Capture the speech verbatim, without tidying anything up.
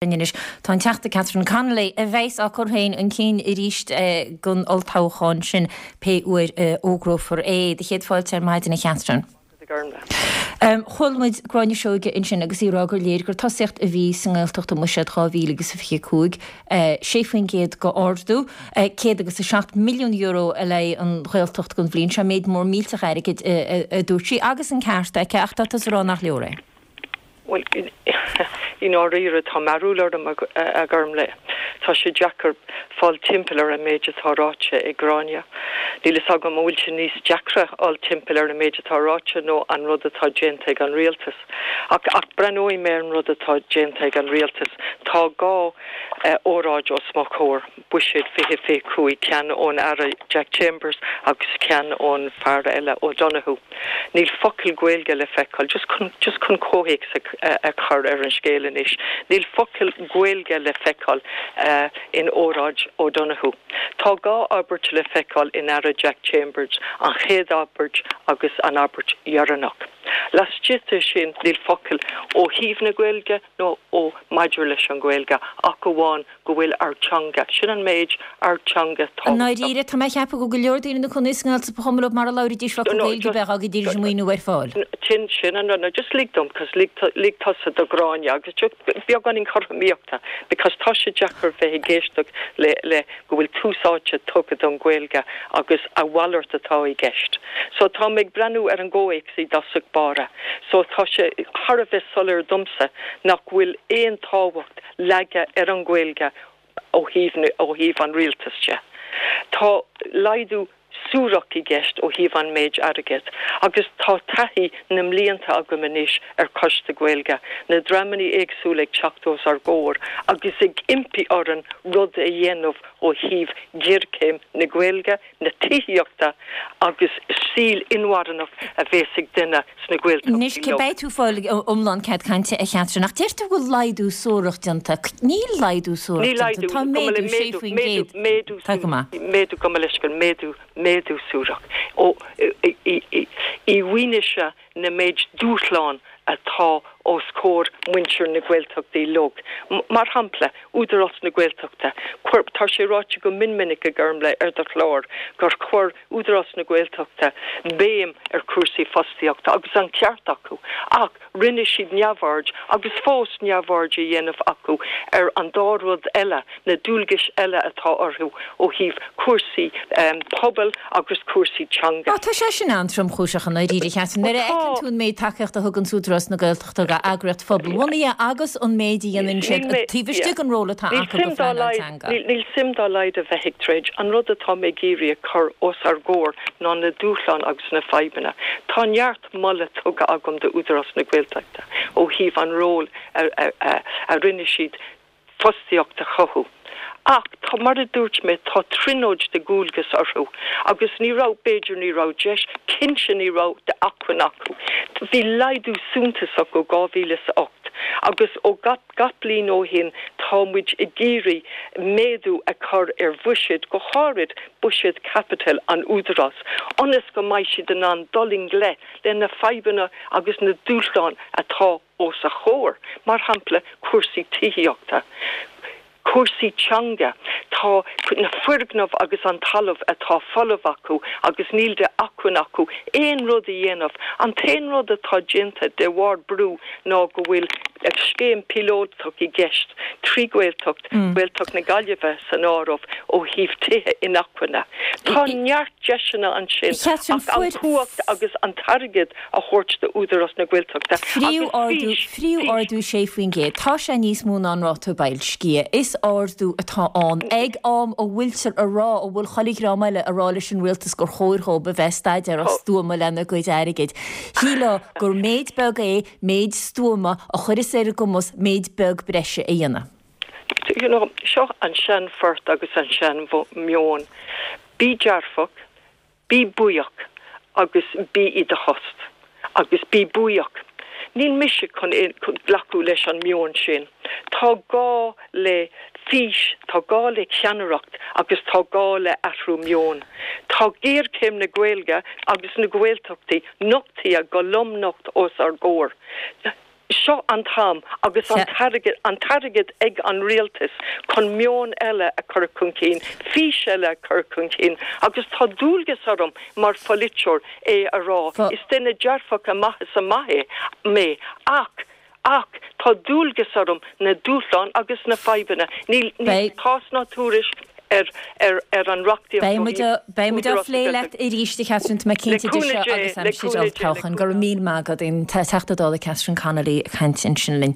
Anois tá an Teachta Catherine Connolly a bheas á cur féin chun cinn arís don olltoghchán sin pé uair a fhógrófar é. Do chéad fáilte ar maidin a Chatherine. Chuala muid Gráinne Seoige ansin agus í ag rá gur léir gur tosaíocht a bhí sa nGaeltacht i mBuiséad dhá mhíle agus a fiche cúig, sé faoin gcéad d'ardú, céad agus a seacht milliún euro a le an Ghaeltacht don bhliain seo, méid mór millteach airgid a dúirt sí, agus an ceart aici ach tá tusa ag rá nach leor é. Bhuel, i ndáiríre tá mearbhall orm a Ghormlaith. Tá sé deacair fáil timpeall ar an méid atá ráite ag Gráinne. Níl fhios agam an bhfuil sé níos deacra fháil timpeall ar an méid atá ráite nó an rud atá déanta ag an rialtas. Ach, ach breathnóidh mé ar an rud atá déanta ag an rialtas. Tá dhá óráid os mo chomhair, Buiséad fiche fiche cúig, ceann ón Aire Jack Chambers agus ceann ón fear eile, O'Donoghue. Níl focal Gaeilge le feiceáil, just chun, just chun comhthéacs a chur ar an scéal anois, níl focal Gaeilge le feiceáil in óráid O'Donoghue. Tá dhá abairt le feiceáil in Aire Jack Chambers, an chéad abairt agus an abairt dheireanach. Laistigh de sin níl focal ó thaobh na Gaeilge nó ó maidir leis an Ghaeilge ach amháin go bhfuil ár teanga, sin an méid, ár teanga I ndáiríre, tá mé ag ceapadh go bhfuil go leor daoine ina gcónaí sa nGaeltacht ba chuma leo mara labhraídís focal Gaeilge bheadh dá gcuirfidís an maoiniú ar fáil. Sin, sin an rud, now just lig dom, cos lig, lig tusa do Ghráinne agus just beagáinín cothromaíochta because tá sé deacair bheith ag éisteacht le, le go bhfuil tús áite tugtha don Ghaeilge agus a mhalairt atá i gceist. So tá mé ag breathnú ar an gcomhthéacs i dtosach báire. So tá sé thar a bheith soiléir domsa nach bhfuil aon tábhacht leagtha ar an Ghaeilge ó thaobh ó thaobh an rialtais de. Tá laghdú suarach i gceist ó thaobh an méid airgid agus tá taithí na mblianta agam anois ar Choiste Gaeilge, na dreamanna éagsúla ag teacht os ár gcomhair agus ag impí orainn rud a dhéanamh ó thaobh ghéarchéim na Gaeilge, na tithíochta agus saol inmharthanach a bheas ag duine sna Gaeltachtaí Anois, cé beidh tú fáil iomlán cead cainte a Chatherine, ach deir tú go bhfuil laghdú suarach déanta. Níl laghdú suarach Níl déanta, laghdú, tá méadú sé faoin gcéad. méadú, Tá go maith. méadú, gabh mo leithscéal, méadú, méadú suarach. Ó, i, i, i, i bhfianaise na méid dúshlán atá os comhair muintir na Gaeltachtaí uilig. Mar shampla, Údarás na Gaeltachta, chuir, tá sé ráite go mion minic a Ghormlaith ar do chlár gur chuir Údarás na Gaeltachta béim ar chúrsaí fostaíochta agus an ceart acu, ach rinne siad neamhaird agus fós neamhaird a dhéanamh acu ar an dá rud eile, na dualgais eile atá orthu ó thaobh cúrsaí pobail agus cúrsaí teanga. Á, tá sé sin an-tromchúiseach i ndáiríre, Catherine. Nuair a fheiceann tú an méid tacaíochta a thugann Údarás na Gaeltachta d'eagraíocht phobalbhunaithe agus an méid a dhéanann siad taobh istigh den ról atá acu do phleanáil teanga. Níl suim dá laghad a bheith ag troid. An rud atá mé ag iarraidh a chur os ár gcomhair ná na dúshláin agus na fadhbanna. Tá neart moladh tugtha agam d'Údarás na Gaeltachta ó thaobh an ról a, a, a rinne siad fostaíocht a chothú. Ach tá mar a dúirt mé tá tríonóid de dhualgas orthu agus ní raibh b'fhéidir ní raibh deis cinnte ní raibh d'acmhainn acu. Bhí laghdú suntasach ó dhá mhíle is a ocht agus ó gach gach bliain ó shin tá muid ag iarraidh méadú a chur ar bhuiséad go háirid buiséad caipitil an Údarás, ionas go mbeidh siad in ann dul i ngleic le na fadhbanna agus na dúshláin atá os a chomhair, mar shampla cúrsaí tithíochta. cúrsaí teanga, tá na foirgnimh agus an talamh atá folamh acu agus níl de acmhainn acu aon rud a dhéanamh. An t-aon rud atá déanta de bharr brú ná go bhfuil scéim píolótach i gceist trí Ghaeltacht, Gaeltacht na Gaillimhe san áireamh ó thaobh tithe inacmhainne. Tá neart deiseanna ansin Catherine, ach an fuair chumhacht agus an t-airgead a thabhairt d'Údarás na Gaeltachta agus Phríomh-ardú fís, fís. phríomh-ardú sé faoin gcéad. Tá sé níos mó ná an ráta boilscithe. Is ardú atá ann ag am a bhfuiltear a rá, a bhfuil chuile dhream eile a rá leis an rialtas gur chóir dhóibh a bheith staidéarach stuama lena gcuid airgid. Shílfeá gur méid beag é méid stuama a chuirfeas ar a gcumas méid beag breise a dhéanamh. You know, seo an seanphort agus an seanmheon. Bí dearfach, bí buíoch agus bí i do thost. Agus bí buíoch. Níl mise chun glacadh leis an meon sin. Tá gá le fís, tá gá le ceannaireacht agus tá gá le athrú meoin. Tá géarchéim na Gaeilge agus na Gaeltachtaí nochtaithe go lomnocht os ár gcomhair. Seo an t-am agus an t-airgead an t-airgead ag an rialtas chun meon eile a chur chun cinn, fís eile a chur chun cinn agus tá dualgas orm mar pholaiteoir é a rá. Is duine dearfach amach is amach é mé ach ach tá dualgas orm na dúshláin agus na fadhbanna. Níl níl tásc ná tuairisc ar ar ar an reachtaíocht Beidh muid beidh muid á phlé leat arís a Catherine tá mé cinnte de seo agus aimsir olltoghcháin. Go raibh míle maith agat an Teachta Dála Catherine Connolly ag caint ansin linn.